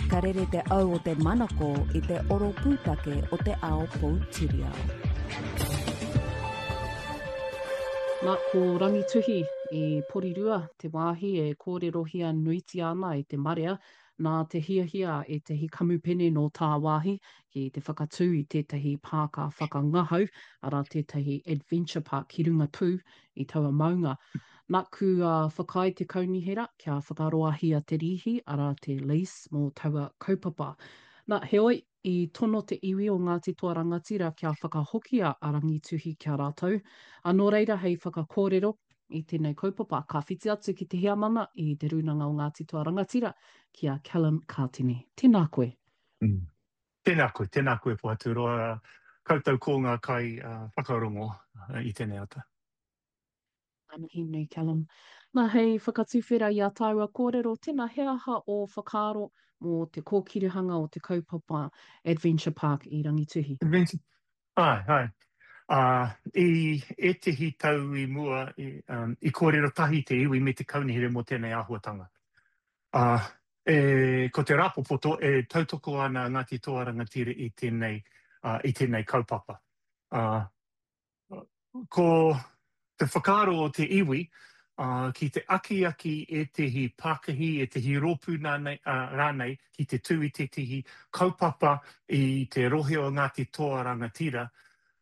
Ka rere te au o te manako i te oro pūtake o te ao poutiriao. Na, ko Rangituhi i Porirua te wāhi e kōrerohia nuitia ana e te marea nā te hiahia a ētahi kamupene nō tāwāhi ki te whakatū i tētahi pāka whakangahau, arā tētahi adventure park ki runga pū i taua maunga. Naku a whakaae te kaunihera kia whakaroahia te rīhi, arā te lease, mō taua kaupapa. Na, heoi, i tono te iwi o Ngāti Toa Rangatira kia whakahokia a Rangituhi ki a rātou, a nō reira hei whakakōrero i tēnei kaupapa, ka whiti atu ki te heamana i Te Rūnanga o Ngāti Toa Rangatira, ki a Callum Kātene. Tēnā koe. Tēnā koe, tēnā koe Pohaturoa, koutou ko ngā kai whakarongo i tēnei ata. Ngā mihi nui Callum. Nā, hei whakatuwhera i ā tāua kōrero, tēnā he aha ō whakaaro mō te kōkirihanga o te kaupapa Adventure Park i Rangituhi? Adventure, āe, āe. Ā, i ētehi tau i mua, i, um, i kōrero tahi te iwi me te kaunihera mō tēnei āhuatanga. Ā, e, ko te rāpopoto e tautoko ana a Ngāti Toa Rangatira i tēnei, ā, i tēnei kaupapa. Ā, Ko te whakaaro o te iwi ki te akiaki ētehi pākihi, ētehi rōpū rānei ki te tū i tētehi kaupapa i te rohe o Ngāti Toa Rangatira,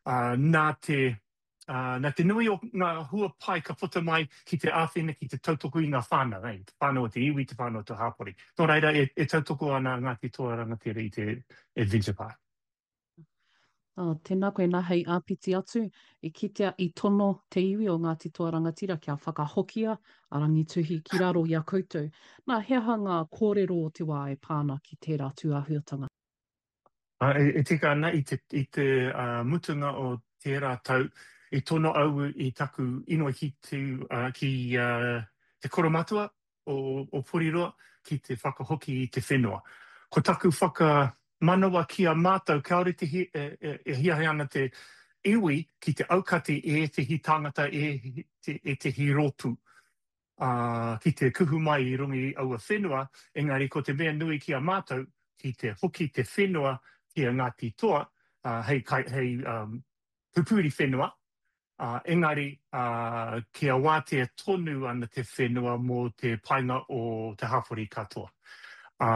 nā te, nā te nui o ngā hua pai ka puta mai ki te āwhina, ki te tautoko i ngā whānau, te whānau o te iwi, te whānau o te hapori. Nō reira, e tautoko ana Ngāti Toa Rangatira i te Adventure Park. Ā, tēnā koe, nā, hei āpiti atu, i kitea i tono te iwi o Ngāti Toa Rangatira kia whakahokia a Rangituhi ki raro i a koutou. Nā, he aha ngā kōrero o te wā e pā ana ki tērā tūāhuatanga? Ā, e tika ana, i te, i te mutunga o tērā tau, i tono au i taku inoi ki te, ki te koromatua, o Poriroa ki te whakahoki i te whenua. Ko taku whakamanawa ki a mātou kāore te e hiahia ana te iwi ki te aukati i ētehi tāngata, i ētehi rōpū ki te kuhu mai i runga i aua whenua, engari ko te mea nui ki a mātou ki te hoki te whenua ki a Ngāti Toa hei pupuri whenua, ā, engari, ā, kia wātea tonu ana te whenua mō te painga o te hapori katoa. Ā,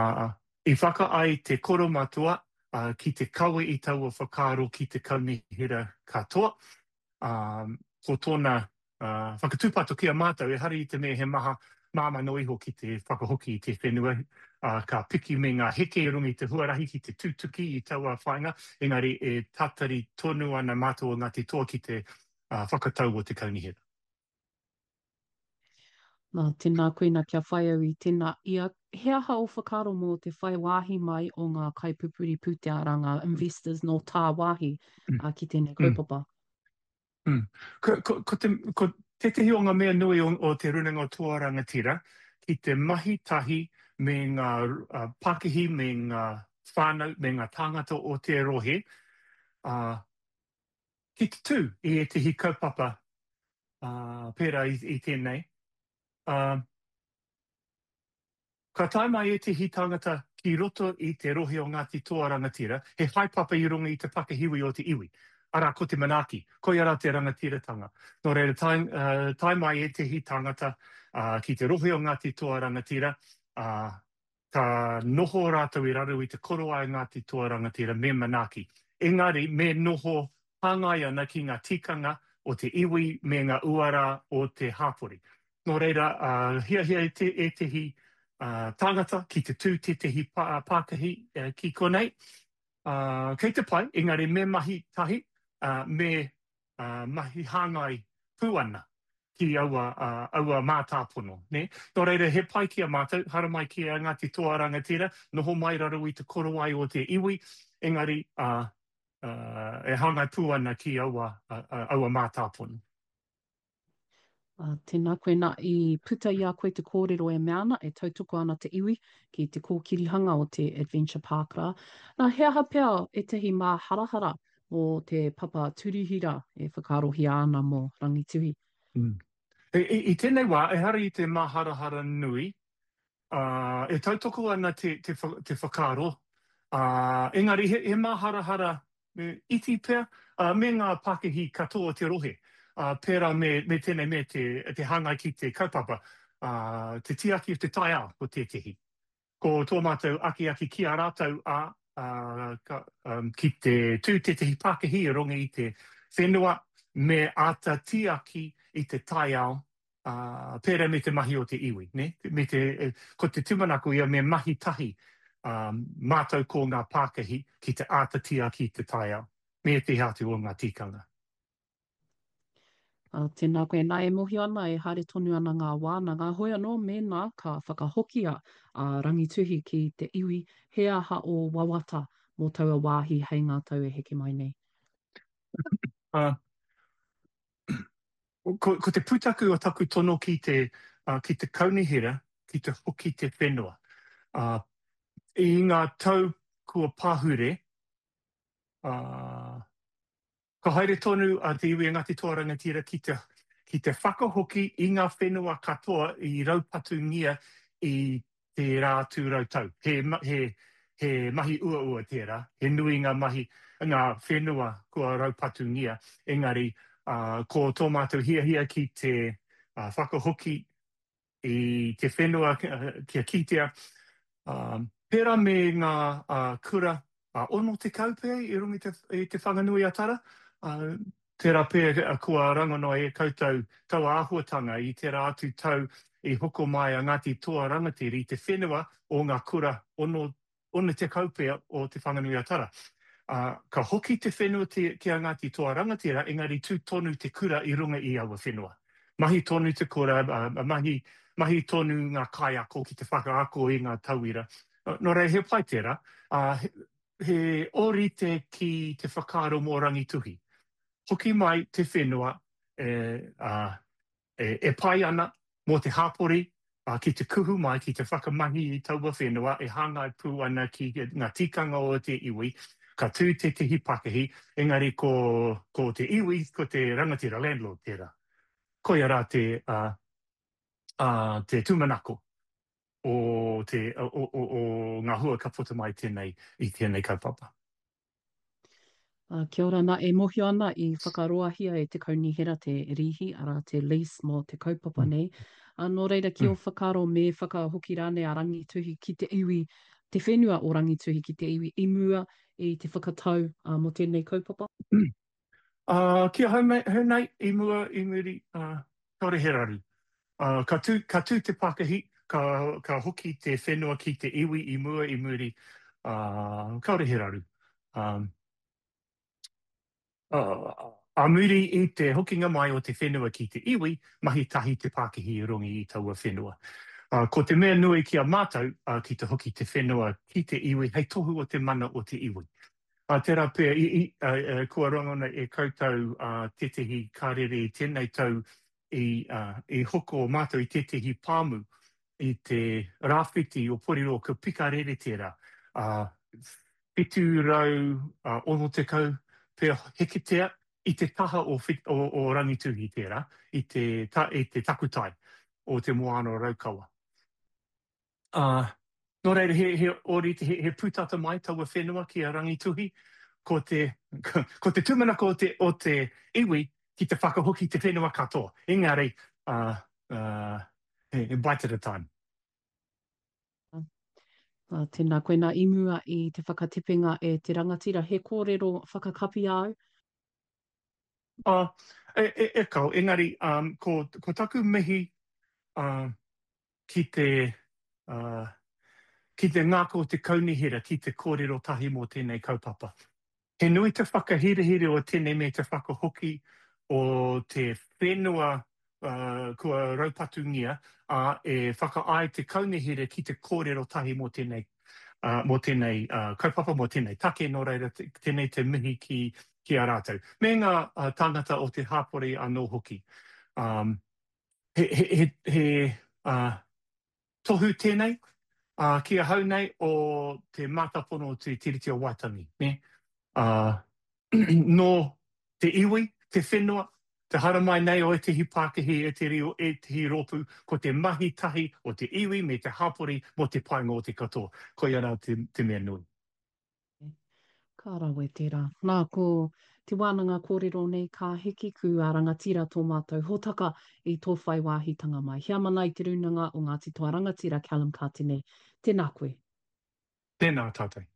i whakaae te koromatua, ā, ki te kawe i taua whakaaro ki te kaunihera katoa, ā, ko tōna, ā, whakatūpato ki a mātou, ehara i te mea he maha māmā noa iho ki te whakahoki i te whenua, ā, ka piki me ngā heke i runga i te huarahi ki te tutuki i taua whāinga, engari e tatari tonu ana mātou o Ngāti Toa ki te whakatau o te kaunihera. Nā, tēnā koe nā kia whai au i tēnā ia. He aha ō whakaaro mō te whai wāhi mai o ngā kaipupuri pūtea, arā ngā investors nō tāwāhi ki tēnei kaupapa? Mm. Ko, ko, ko, te, ko tētehi o ngā mea nui o, o Te Rūnanga o Toa Rangatira, ki te mahi tahi me ngā uh, pakihi, me ngā whānau, me ngā tāngata o te rohe, uh, ki te tū i ētehi kaupapa uh, pērā i, i tēnei. Uh, Ka tae mai ētehi tāngata ki roto i te rohe o Ngāti Toa Rangatira, he haepapa i runga i te pakihiwi o te iwi, arā, ko te manaaki, koia rā te rangatiratanga. Nō reira, tae, tae mai ētehi tāngata ki te rohe o Ngāti Toa Rangatira, ā, ka noho rātou i raro i te korowai Ngāti Toa Rangatira me manaaki. Engari, me noho hāngai ana ki ngā tikanga o te iwi me ngā uara o te hāpori. Nō reira, hiahia ētehi tāngata ki te tū tētehi pākahi ki konei, kei te pai, engari me mahi tahi, me mahi hāngai pū ana ki aua, aua mātāpono, nē. Nō reira, he pai ki a mātou, haramai ki a Ngāti Toa Rangatira, noho mai raro i te korowai o te iwi, engari e hāngai pū ana ki aua, aua mātāpono. Ā, tēnā koe, nā, i puta i a koe te kōrero e mea ana, e tautoko ana te iwi ki te kōkirihanga o te Adventure Park rā. Nā, he aha pea ētahi māharahara mō te papa turihira e whakaarohia ana mō Rangituhi? Mm. I, i, i tēnei wā, ehara i te māharahara nui, Ā, e tautoko ana te, te, te whakaaro, ā, engari he, he māharahara iti pea, ā, me ngā pakihi katoa o te rohe, ā, pērā me, me tēnei me te, te hāngai ki te kaupapa, ā, te tiaki o te taiao ko tētehi. Ko tō mātou akiaki ki a rātou, ā, ā, ka, ki te tū tētehi pakihi i runga i te whenua me āta tiaki i te taiao, ā, pērā me te mahi o te iwi, nē? Me te, ko te tūmanako ia me mahi tahi, ā, mātou ko ngā pākihi ki te āta tiaki i te taiao, me ētehi atu o ngā tikanga. Ā, tēnā koe. Nā, e mōhio ana e haere tonu ana ngā wānanga, hoi anō mēnā ka whakahokia a Rangituhi ki te iwi, he aha ō wawata mō taua wāhi hei ngā tau e heke mai nei? Ā, ko, ko te pūtaku o taku tono ki te, ā, ki te kaunihera, ki te hoki te whenua. Ā, i ngā tau kua pahure, ā, Ka haere tonu a te iwi a Ngāti Toa Rangatira ki te ki te whakahoki i ngā whenua katoa i raupatungia i tērā atu rautau. He, he, he mahi uaua tērā, he nui ngā mahi, ngā whenua kua raupatungia, engari ko tō mātou hiahia ki te whakahoki i te whenua kia kitea, pērā me ngā kura 60 pea i runga i Te Whanganui-a-Tara, tērā pea kua rangona e koutou taua āhuatanga i tērā atu tau i hoko mai a Ngāti Toa Rangatira i te whenua o ngā kura 60 pea o Te Whanganui-a-Tara. Ā, ka hoki te whenua ki a Ngāti Toa Rangatira, engari tū tonu te kura i runga i aua whenua. Mahi tonu te kura, ā, mahi, mahi tonu ngā kaiako ki te whakaako i ngā tauira. Nō reira, he pai tērā. Ā, he, he ōrite ki te whakaaro mō Rangituhi. Hoki mai te whenua, e, ā, e pai ana mō te hapori ki te kuhu mai, ki te whakamahi i taua whenua e hāngai pū ana ki ngā tikanga o te iwi, ka tū tētehi pakihi, engari ko, ko te iwi, ko te rangatira, landlord, tērā. Koia rā te, ā, ā, te tūmanako o te, o, o, o ngā hua ka puta mai tēnei, i tēnei kaupapa. Ā, kia ora nā, e mōhio ana i whakaroahia e te kaunihera te rīhi, arā, te lease mō te kaupapa nei. Ā, nō reira, ki ō whakaaro me whakahoki rānei a Rangituhi ki te iwi, te whenua o Rangituhi ki te iwi i mua i te whakatau ā, mō tēnei kaupapa? Ā, ki ahau nei, ahau nei, i mua, i muri, ā, kāore he raru. Ā, ka tū, ka tū te pakihi, ka, ka hoki te whenua ki te iwi i mua, i muri, ā, kāore he raru. Ā, ā muri i te hokinga mai o te whenua ki te iwi, mahi tahi te pakihi i runga i taua whenua. Ā, ko te mea nui ki a mātou, ā, ki te hoki te whenua ki te iwi hei tohu o te mana o te iwi. Ā, tērā pea, i, i, ā, kua rangona e koutou, ā, tētehi karere i tēnei tau i, ā, i hoko mātou i tētehi pāmu i te rāwhiti o Porirua, ko Pikarere tērā, ā, 760 pea heketea i te taha o, o, o Rangituhi tērā, i te, ta, i te takutai o te Moana o Raukawa. Ā, nō reira, he, he ōrite, he, he pūtata mai taua whenua ki a Rangituhi, ko te, ko te tūmanako o te, o te iwi ki te whakahoki te whenua katoa. Engari, ā, ā, he, he bite at a time. Ā, tēnā koe nā i mua i te whakatepenga e te rangatira, he kōrero whakakapi āu? Ā, e, e, e kao, engari, um, ko, ko taku mihi, ā, ki te, ā, ki te ngākau o te kaunihera ki te kōrero tahi mō tēnei kaupapa. He nui te whakahirahira o tēnei me te whakahoki o te whenua kua raupatungia, ā, e whakaae te kaunihera ki te kōrero tahi mō tēnei, mō tēnei kaupapa, mō tēnei take, nō reira tēnei te mihi ki, ki a rātou. Me ngā tāngata o te hāpori anō hoki. He, he, he, he, Tohu tēnei, ā, ki ahau nei o te mātāpono o te Tiriti o Waitangi, nē? Ā, nō te iwi, te whenua, Te haramai nei o ētehi pākihi, ētehi, ētehi rōpū, ko te mahi tahi o te iwi me te hapori mō te painga o te katoa. Koia rā te, te mea nui. Ka rawe tērā. Nā, ko te wānanga kōrero nei ka hiki ku a rangatira tō mātou hōtaka i tō whai wāhitanga mai. Heamana i Te Rūnanga o Ngāti Toa Rangatira Callum Katene, tēnā koe. Tēnā tātou.